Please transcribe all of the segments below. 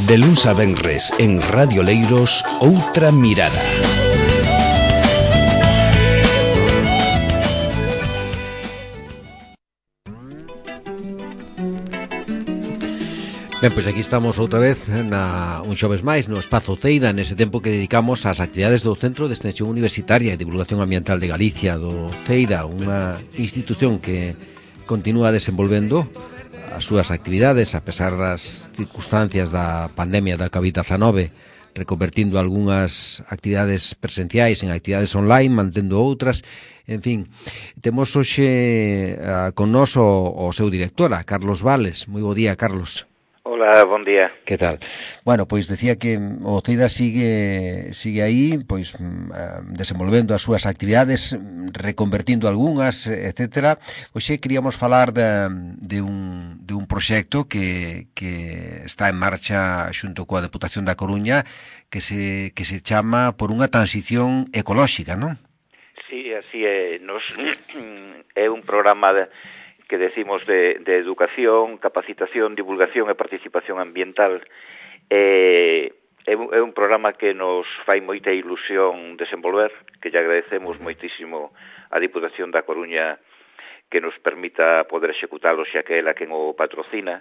De luns a venres en Radio Leiros, Outra Mirada. Ben, pois aquí estamos outra vez un xoves máis no Espazo Ceida, nese tempo que dedicamos ás actividades do Centro de Extensión Universitaria e Divulgación Ambiental de Galicia, do Ceida, unha institución que continúa desenvolvendo as súas actividades a pesar das circunstancias da pandemia da COVID-19, reconvertindo algunhas actividades presenciais en actividades online, mantendo outras. En fin, temos hoxe con nós o seu director, Carlos Vales. Moi bo día, Carlos. Hola, bon día. Que tal? Bueno, pois decía que o CEIDA sigue aí, pois desenvolvendo as súas actividades, reconvertindo algunhas, etcétera. Hoxe queríamos falar de un proxecto que está en marcha xunto coa Deputación da Coruña que se chama Por unha transición ecolóxica, non? Sí, así é. É un programa que decimos de educación, capacitación, divulgación e participación ambiental. É un programa que nos fai moita ilusión desenvolver, que lle agradecemos moitísimo a Diputación da Coruña que nos permita poder executalo, xa que ela quen o patrocina,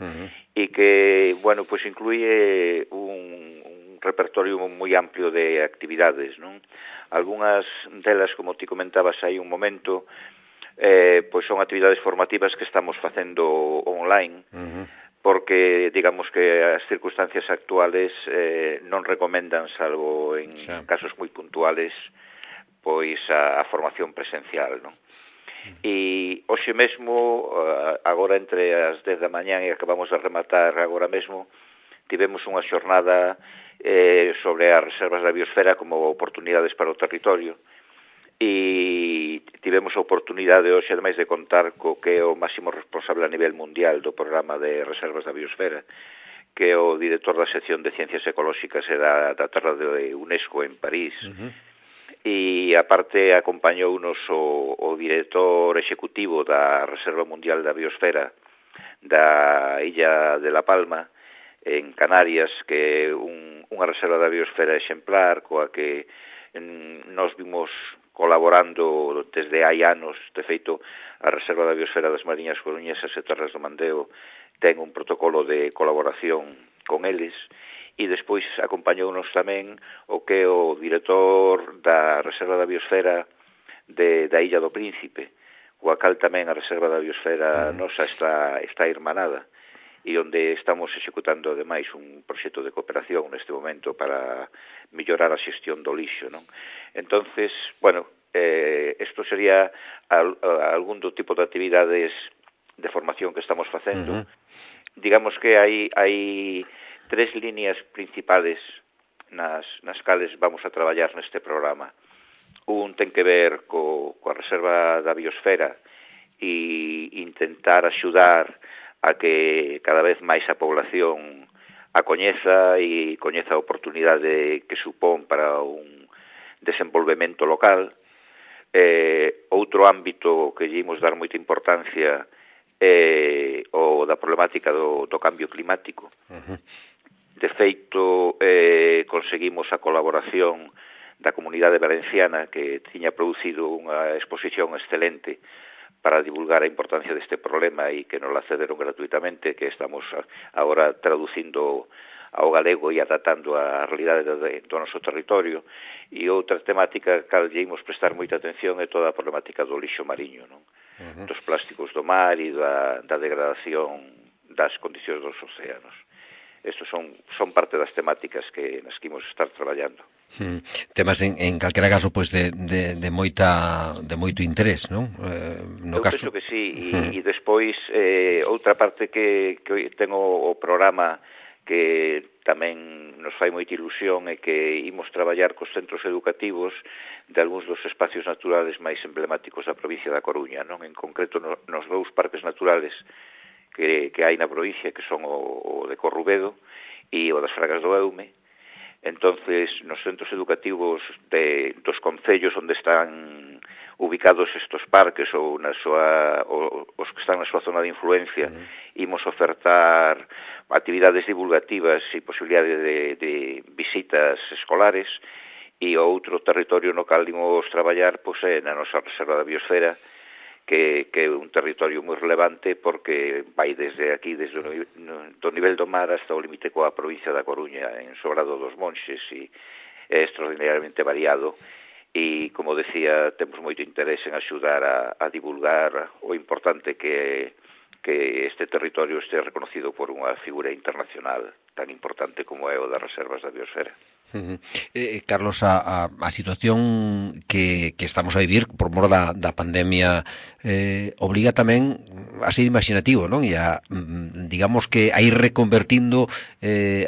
e que, bueno, pois incluye un repertorio moi amplio de actividades, non? Algúnas delas, como ti comentabas aí un momento, pois son actividades formativas que estamos facendo online, porque digamos que as circunstancias actuales non recomendan, salvo en casos moi puntuales, pois a formación presencial, non? E hoxe mesmo, agora entre as 10 da mañá e acabamos de rematar agora mesmo, tivemos unha xornada sobre as reservas da biosfera como oportunidades para o territorio, e tivemos a oportunidade hoxe, ademais de contar co que é o máximo responsable a nivel mundial do programa de reservas da biosfera, que é o director da sección de Ciencias Ecolóxicas e da Terra de UNESCO en París, e aparte acompañounos o director executivo da Reserva Mundial da Biosfera da Illa de La Palma, en Canarias, que é unha reserva da biosfera exemplar coa que nos vimos colaborando desde hai anos. De feito, a Reserva da Biosfera das Mariñas Coruñesas e Terras do Mandeo ten un protocolo de colaboración con eles, e despois acompañounos tamén o que é o director da Reserva da Biosfera da Illa do Príncipe, coa cal tamén a Reserva da Biosfera nosa está irmanada, e onde estamos executando ademais un proxecto de cooperación neste momento para mellorar a xestión do lixo, non? Entonces, bueno, isto sería algún do tipo de actividades de formación que estamos facendo. Digamos que hai tres líneas principales nas cales vamos a traballar neste programa. Un ten que ver coa reserva da biosfera e intentar axudar a que cada vez máis a población a coñeza e coñeza a oportunidade que supón para un desenvolvemento local. Outro ámbito que lle imos dar moita importancia é o da problemática do cambio climático. De feito, conseguimos a colaboración da Comunidade Valenciana, que tiña producido unha exposición excelente para divulgar a importancia deste problema e que nos la cederon gratuitamente, que estamos agora traducindo ao galego e adaptando a realidade do noso territorio. E outra temática que lle imos prestar moita atención é toda a problemática do lixo mariño, non? Dos plásticos do mar e da degradación das condicións dos océanos. Estos son parte das temáticas nas que imos estar traballando. Temas en calquera caso pois de moito interés, non? Eu penso que sí, e despois outra parte que ten o programa que tamén nos fai moita ilusión é que imos traballar cos centros educativos de algúns dos espacios naturales máis emblemáticos da provincia da Coruña, non? En concreto nos dous parques naturales que hai na provincia, que son o de Corrubedo e o das Fragas do Eume. Entonces, nos centros educativos dos concellos onde están ubicados estos parques ou os que están na súa zona de influencia, imos ofertar actividades divulgativas e posibilidade de visitas escolares, e o outro territorio no cal imos traballar pois é na nosa Reserva da Biosfera, que é un territorio moi relevante porque vai desde aquí, desde do nivel do mar hasta o límite coa provincia da Coruña, en Sobrado dos Monxes, e é extraordinariamente variado, e, como decía, temos moito interés en axudar a divulgar o importante que este territorio este reconocido por unha figura internacional tan importante como é o das reservas da biosfera. Carlos, a situación que estamos a vivir por mor da pandemia obliga tamén a ser imaginativo, non? E a, digamos que a ir reconvertindo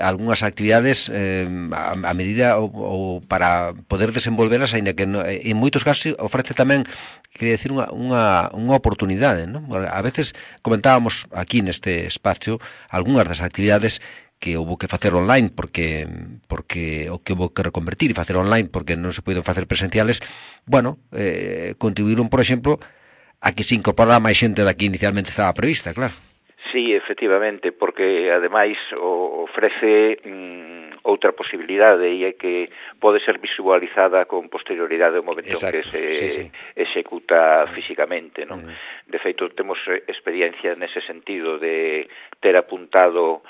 algunhas actividades a medida ou para poder desenvolveras, aínda que en moitos casos ofrece tamén, quería decir, unha oportunidade, non? A veces comentábamos aquí neste espacio algunhas das actividades que houve que facer online porque o que houve que reconvertir e facer online porque non se poden facer presenciales, bueno, contribuíron, por exemplo, a que se incorporara máis xente da que inicialmente estaba prevista, claro. Sí, efectivamente, porque ademais ofrece outra posibilidade, e é que pode ser visualizada con posterioridade ao momento en que se executa físicamente, non? De feito, temos experiencia nese sentido de ter apuntado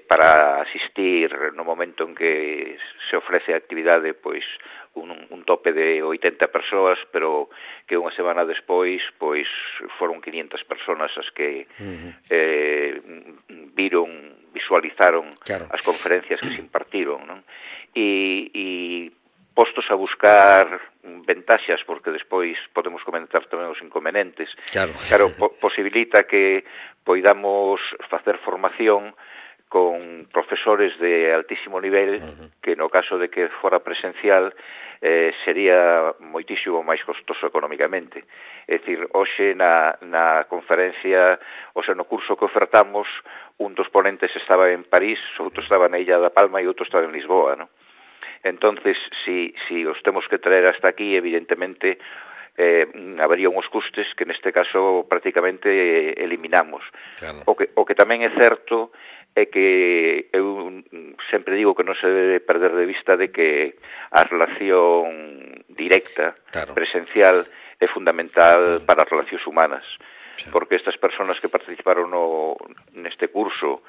para asistir no momento en que se ofrece a actividade, pois un tope de 80 persoas, pero que unha semana despois pois foron 500 persoas as que visualizaron as conferencias que se impartiron, non? E postos a buscar ventaxas, porque despois podemos comentar tamén os inconvenientes, claro, posibilita que poidamos facer formación con profesores de altísimo nivel, que no caso de que fora presencial sería moitísimo máis costoso económicamente. É dicir, hoxe na conferencia, o sea, no curso que ofertamos, un dos ponentes estaba en París, outro estaba na Illa da Palma e outro estaba en Lisboa, non? Entonces, si os temos que traer hasta aquí, evidentemente habería uns custes que neste caso prácticamente eliminamos. Claro. O que tamén é certo é que eu sempre digo que non se debe perder de vista de que a relación directa, presencial, é fundamental para as relacións humanas, porque estas persoas que participaron neste curso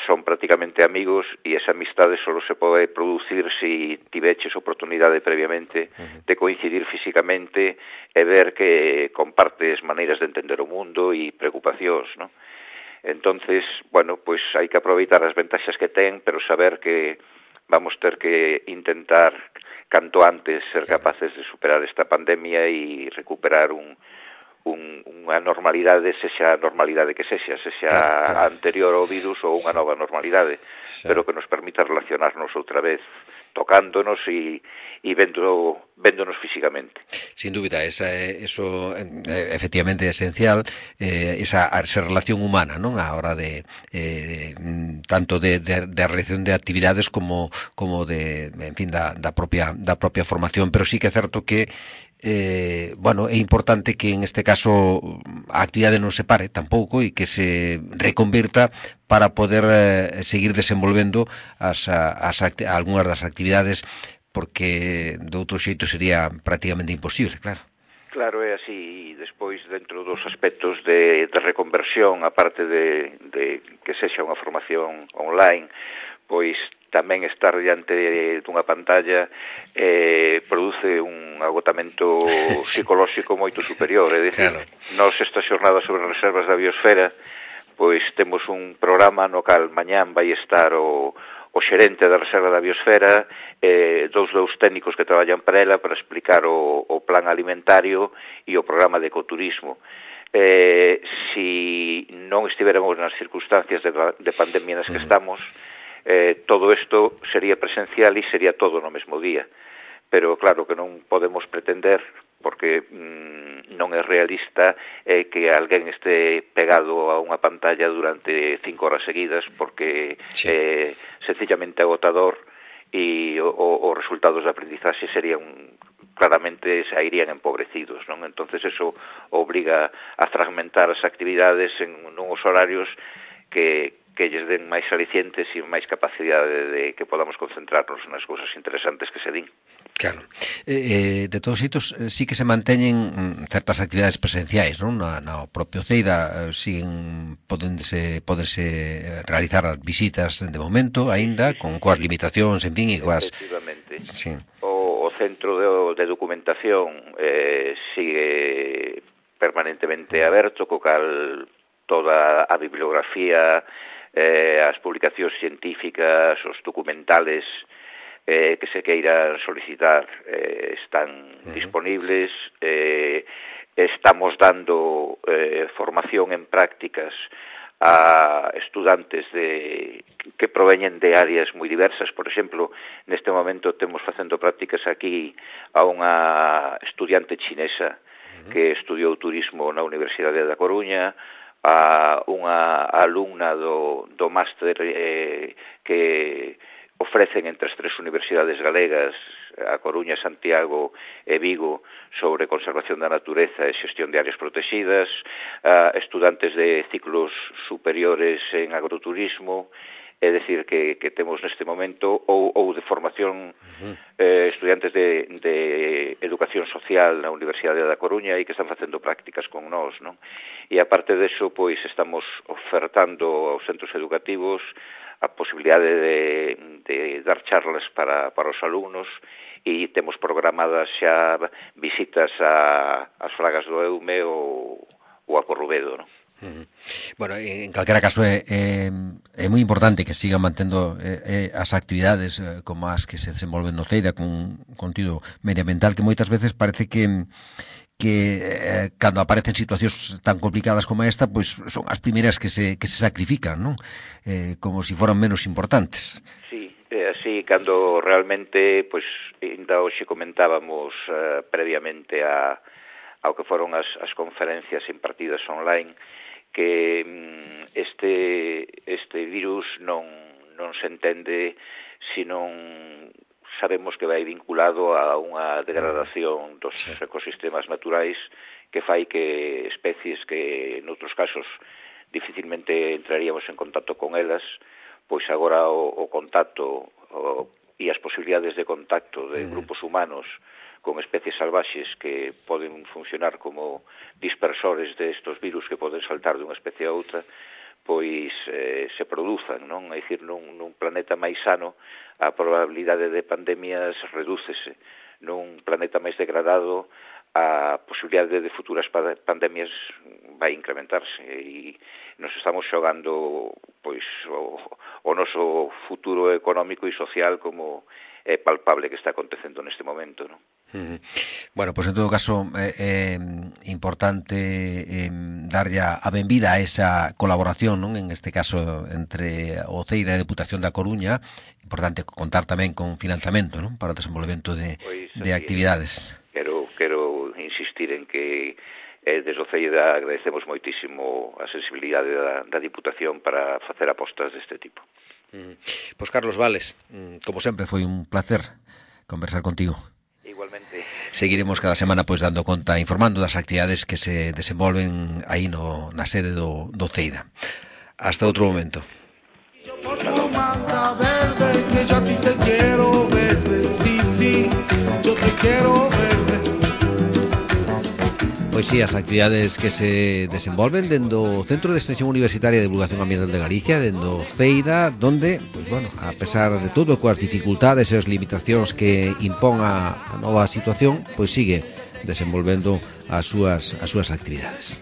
son prácticamente amigos, e esa amistade só se pode producir se tiveches oportunidade previamente de coincidir físicamente e ver que compartes maneiras de entender o mundo e preocupacións, non? Entonces, bueno, pois hai que aproveitar as ventaxas que ten, pero saber que vamos ter que intentar canto antes ser capaces de superar esta pandemia e recuperar unha normalidade, sexa a normalidade que sexa a anterior ao virus ou unha nova normalidade, pero que nos permita relacionarnos outra vez, tocándonos e véndonos físicamente. Sin dúbida, eso efectivamente é esencial, esa relación humana, non? A hora de tanto de realización de actividades como de, en fin, da propia formación, pero sí que é certo que bueno, é importante que en este caso a actividade non se pare tampouco e que se reconvirta para poder seguir desenvolvendo algunhas das actividades, porque de outro xeito sería prácticamente imposible, claro. Claro, é así, e despois dentro dos aspectos de reconversión, aparte de que sexa unha formación online, pois tamén estar diante dunha pantalla produce un agotamento psicolóxico moito superior, é dicir, nós esta xornada sobre reservas da biosfera, pois temos un programa no cal mañán vai estar o xerente da Reserva da Biosfera, dous técnicos que traballan para ela para explicar o plan alimentario e o programa de ecoturismo. Si non estiveramos nas circunstancias de pandemia nas que estamos, todo isto sería presencial e sería todo no mesmo día. Pero claro que non podemos pretender, porque non é realista, que alguén este pegado a unha pantalla durante 5 horas seguidas, porque é sencillamente agotador, e os resultados de aprendizaxe serían claramente se irían empobrecidos, non? Entonces eso obriga a fragmentar as actividades en uns horarios que que lles den máis alicientes e máis capacidade de que podamos concentrarnos nas cousas interesantes que se din. Claro. De todos xeitos, sí que se manteñen certas actividades presenciais, non? No propio Ceida siguen poderse realizar as visitas de momento, aínda, con coas limitacións, en fin, e coas... Efectivamente. Sí. O centro de documentación sigue permanentemente aberto, co cal toda a bibliografía, as publicacións científicas, os documentales que se queiran solicitar están disponibles. Estamos dando formación en prácticas a estudantes que proveñen de áreas moi diversas. Por exemplo, neste momento temos facendo prácticas aquí a unha estudiante chinesa que estudiou turismo na Universidade da Coruña, a unha alumna do máster que ofrecen entre as tres universidades galegas, a Coruña, Santiago e Vigo, sobre conservación da natureza e xestión de áreas protegidas, estudantes de ciclos superiores en agroturismo. É dicir, que temos neste momento ou de formación estudiantes de educación social na Universidade da Coruña e que están facendo prácticas con nós, non? E aparte deso, pois estamos ofertando aos centros educativos a posibilidade de dar charlas para os alumnos, e temos programadas xa visitas ás Fragas do Eume ou a Corrubedo, non? Bueno, en calquera caso é moi importante que sigan mantendo as actividades como as que se desenvolven no Ceida con contido medioambiental, que moitas veces parece que cando aparecen situacións tan complicadas como esta, pois son as primeiras que se sacrifican, non? Como se foran menos importantes. Sí, así, cando realmente, pois, ainda hoxe comentábamos previamente ao que foron as conferencias impartidas online, que este virus non se entende se non sabemos que vai vinculado a unha degradación dos ecosistemas naturais que fai que especies que noutros casos dificilmente entraríamos en contacto con elas, pois agora o contacto e as posibilidades de contacto de grupos humanos con especies salvaxes que poden funcionar como dispersores de estos virus que poden saltar dunha especie a outra, pois se produzan, non? É dicir, nun planeta máis sano a probabilidade de pandemias redúcese. Nun planeta máis degradado a posibilidade de futuras pandemias vai incrementarse, e nos estamos xogando pois o noso futuro económico e social como é palpable que está acontecendo neste momento, non? Bueno, pois en todo caso é importante darlle a benvida a esa colaboración, non? En este caso entre o Ceida e a Deputación da Coruña. Importante contar tamén con financiamento, non? Para o desenvolvemento de actividades. Quero insistir en que desde o Ceida agradecemos moitísimo a sensibilidade da Diputación para facer apostas deste tipo. Pois Carlos Vales, como sempre foi un placer conversar contigo. Igualmente. Seguiremos cada semana pois dando conta, informando das actividades que se desenvolven aí na sede do Ceida. Hasta outro momento. Pois sí, as actividades que se desenvolven dentro do Centro de Extensión Universitaria de Divulgación Ambiental de Galicia, dentro Ceida, donde, pois bueno, a pesar de todo, coas dificultades e as limitacións que impón a nova situación, pois sigue desenvolvendo as súas actividades.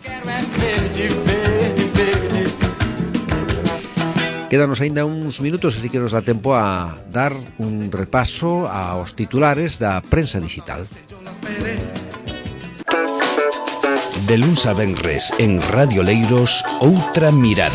Quédanos aínda uns minutos, así que nos dá tempo a dar un repaso aos titulares da prensa digital. De luns a venres en Radio Leiros, Outra Mirada.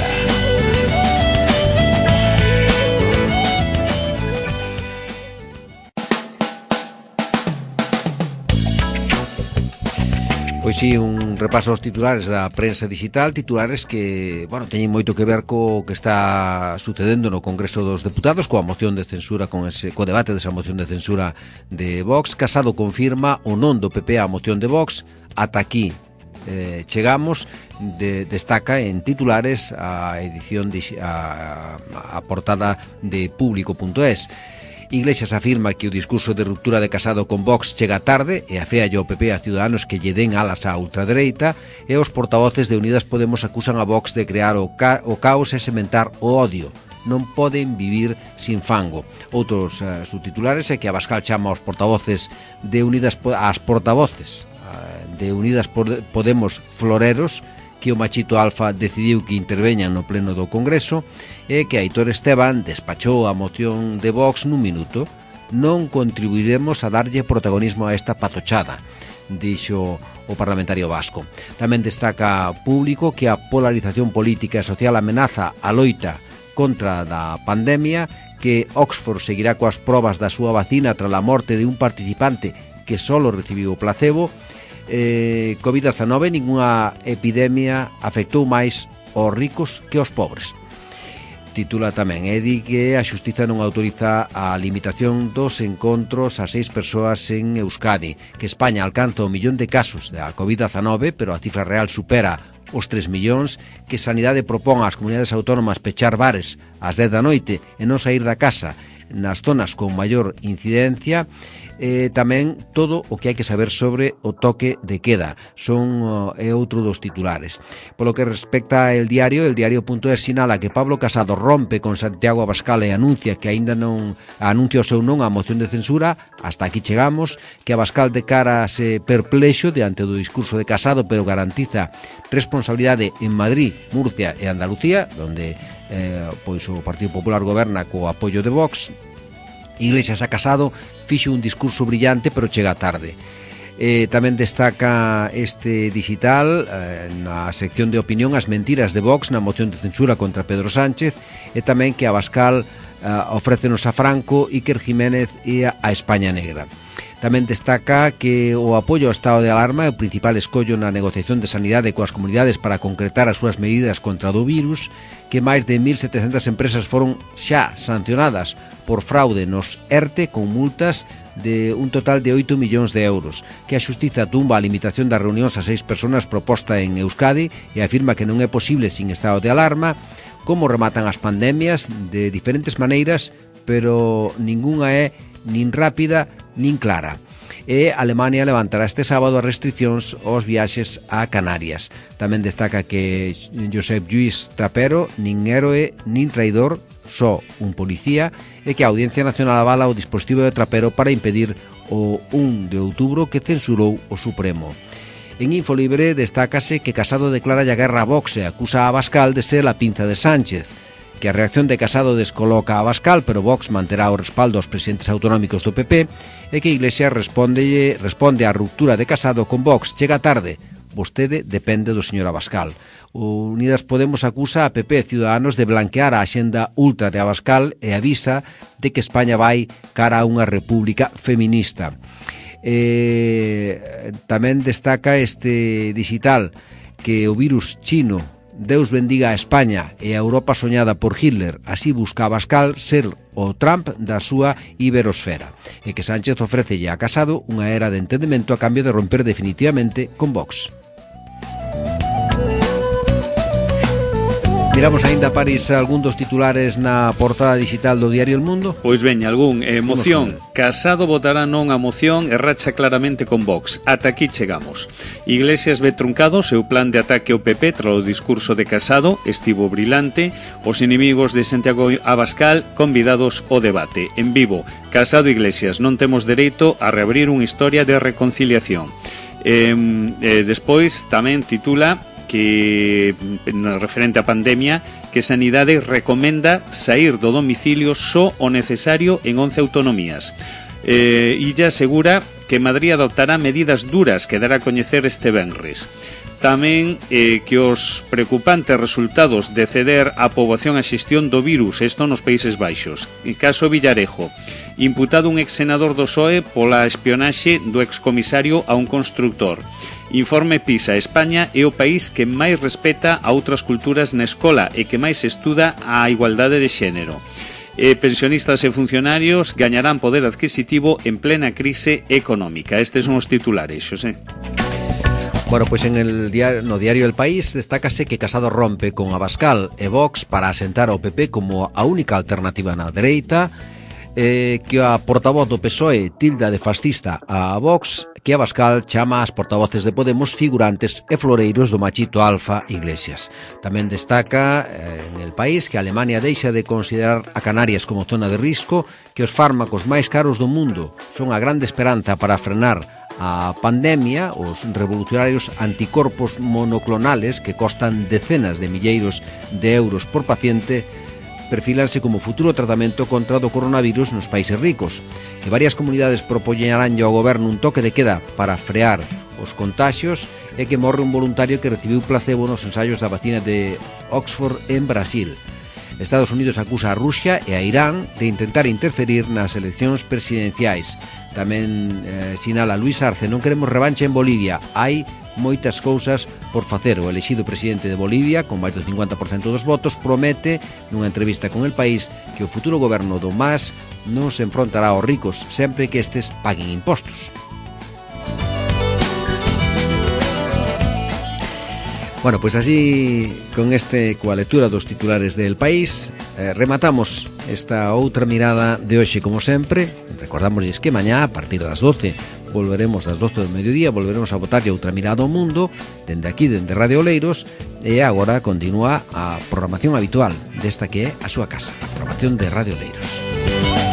Pois sí, un repaso aos titulares da prensa digital, titulares que, bueno, teñen moito que ver co que está sucedendo no Congreso dos Deputados, coa moción de censura, co debate desa moción de censura de Vox. Casado confirma o non do PP á moción de Vox. Ata aquí chegamos, destaca en titulares a edición a portada de Público.es. Iglesias afirma que o discurso de ruptura de Casado con Vox chega tarde e afea ao PP a Ciudadanos que lle den alas á ultradereita, e os portavoces de Unidas Podemos acusan a Vox de crear o caos e sementar o odio. Non poden vivir sin fango. Outros subtitulares é que Abascal chama aos portavoces de Unidas Podemos floreros, que o machito alfa decidiu que interveñan no pleno do Congreso, e que Aitor Esteban despachou a moción de Vox nun minuto. Non contribuiremos a darlle protagonismo a esta patochada, dixo o parlamentario vasco. Tamén destaca Público que a polarización política e social amenaza a loita contra da pandemia, que Oxford seguirá coas probas da súa vacina tras a morte de un participante que solo recibiu o placebo. COVID-19, ninguna epidemia afectou máis aos ricos que aos pobres. Titula tamén, di que a Xustiza non autoriza a limitación dos encontros a 6 persoas en Euskadi, que España alcanza 1 millón de casos da COVID-19, pero a cifra real supera os 3 millóns, que Sanidade propón ás comunidades autónomas pechar bares ás 10 da noite e non sair da casa nas zonas con maior incidencia. Tamén todo o que hai que saber sobre o toque de queda é outro dos titulares. Polo que respecta el diario.es sinala que Pablo Casado rompe con Santiago Abascal e anuncia que aínda non anuncia o seu non á moción de censura. Hasta aquí chegamos, que Abascal decárase perplexo diante do discurso de Casado, pero garantiza responsabilidade en Madrid, Murcia e Andalucía, onde pois o Partido Popular goberna co apoio de Vox. Iglesias a Casado fixo un discurso brillante, pero chega tarde. Tamén destaca este digital na sección de opinión as mentiras de Vox na moción de censura contra Pedro Sánchez, e tamén que Abascal ofrécenos a Franco, Iker Jiménez e a España Negra. Tamén destaca que o apoio ao estado de alarma é o principal escollo na negociación de sanidade coas comunidades para concretar as súas medidas contra o virus, que máis de 1.700 empresas foron xa sancionadas por fraude nos ERTE con multas de un total de 8 millóns de euros, que a Xustiza tumba a limitación das reunións a 6 persoas proposta en Euskadi e afirma que non é posible sin estado de alarma. Como rematan as pandemias de diferentes maneiras, pero ningunha é nin rápida nin clara. E Alemania levantará este sábado as restriccións aos viaxes a Canarias. Tamén destaca que Josep Lluís Trapero nin héroe nin traidor, só un policía, e que a Audiencia Nacional avala o dispositivo de Trapero para impedir o 1 de outubro que censurou o Supremo. En Infolibre destácase que Casado declara a guerra a Vox e acusa a Abascal de ser a pinza de Sánchez, que a reacción de Casado descoloca a Abascal, pero Vox manterá o respaldo aos presidentes autonómicos do PP, e que Iglesias responde á ruptura de Casado con Vox. Chega tarde, vostede depende do señor Abascal. Unidas Podemos acusa a PP e Ciudadanos de blanquear a axenda ultra de Abascal e avisa de que España vai cara a unha república feminista. Tamén destaca este digital que o virus chino, Deus bendiga a España e a Europa soñada por Hitler, así busca Abascal ser o Trump da súa iberosfera, e que Sánchez ofrécelle a Casado unha era de entendemento a cambio de romper definitivamente con Vox. Miramos aínda, París, algún dos titulares na portada digital do diario El Mundo. Pois veña, algún. Moción. Casado votará non a moción e racha claramente con Vox. Ata aquí chegamos. Iglesias ve truncado seu plan de ataque ao PP tras o discurso de Casado. Estivo brilante. Os inimigos de Santiago Abascal convidados ao debate. En vivo, Casado e Iglesias, non temos dereito a reabrir unha historia de reconciliación. Despois tamén titula que, referente á pandemia, que Sanidade recomenda sair do domicilio só o necesario en 11 autonomías. Illa asegura que Madrid adoptará medidas duras que dará a coñecer este venres. Tamén que os preocupantes resultados de ceder a poboación a xestión do virus, isto nos Países Baixos. En caso Villarejo, imputado un ex-senador do PSOE pola espionaxe do excomisario a un constructor. Informe PISA, España é o país que máis respeta a outras culturas na escola e que máis estuda a igualdade de xénero. Pensionistas e funcionarios gañarán poder adquisitivo en plena crise económica. Estes son os titulares, Xosé. Bueno, pois no diario El País destácase que Casado rompe con Abascal e Vox para asentar ao PP como a única alternativa na dereita, que a portavoz do PSOE tilda de fascista a Vox, que Abascal chama as portavoces de Podemos figurantes e floreiros do machito alfa Iglesias. Tamén destaca en El País que Alemania deixa de considerar a Canarias como zona de risco, que os fármacos máis caros do mundo son a grande esperanza para frenar a pandemia, os revolucionarios anticorpos monoclonales que costan decenas de milleiros de euros por paciente perfilanse como futuro tratamento contra o coronavirus nos países ricos, que varias comunidades propoñerán ao goberno un toque de queda para frear os contaxios e que morre un voluntario que recibiu placebo nos ensaios da vacina de Oxford en Brasil. Estados Unidos acusa a Rusia e a Irán de intentar interferir nas eleccións presidenciais. Tamén sinala Luis Arce, non queremos revanche en Bolivia, hai moitas cousas por facer. O elexido presidente de Bolivia, con máis do 50% dos votos, promete nunha entrevista con El País que o futuro goberno do MAS non se enfrontará aos ricos sempre que estes paguen impostos. Bueno, pois así, con coa lectura dos titulares del País, rematamos esta outra mirada de hoxe, como sempre. Recordamos que mañá, a partir das 12, volveremos das 12 do mediodía, volveremos a botarlle outra mirada ao mundo, dende aquí, dende Radio Oleiros, e agora continúa a programación habitual desta que é a súa casa, a programación de Radio Oleiros.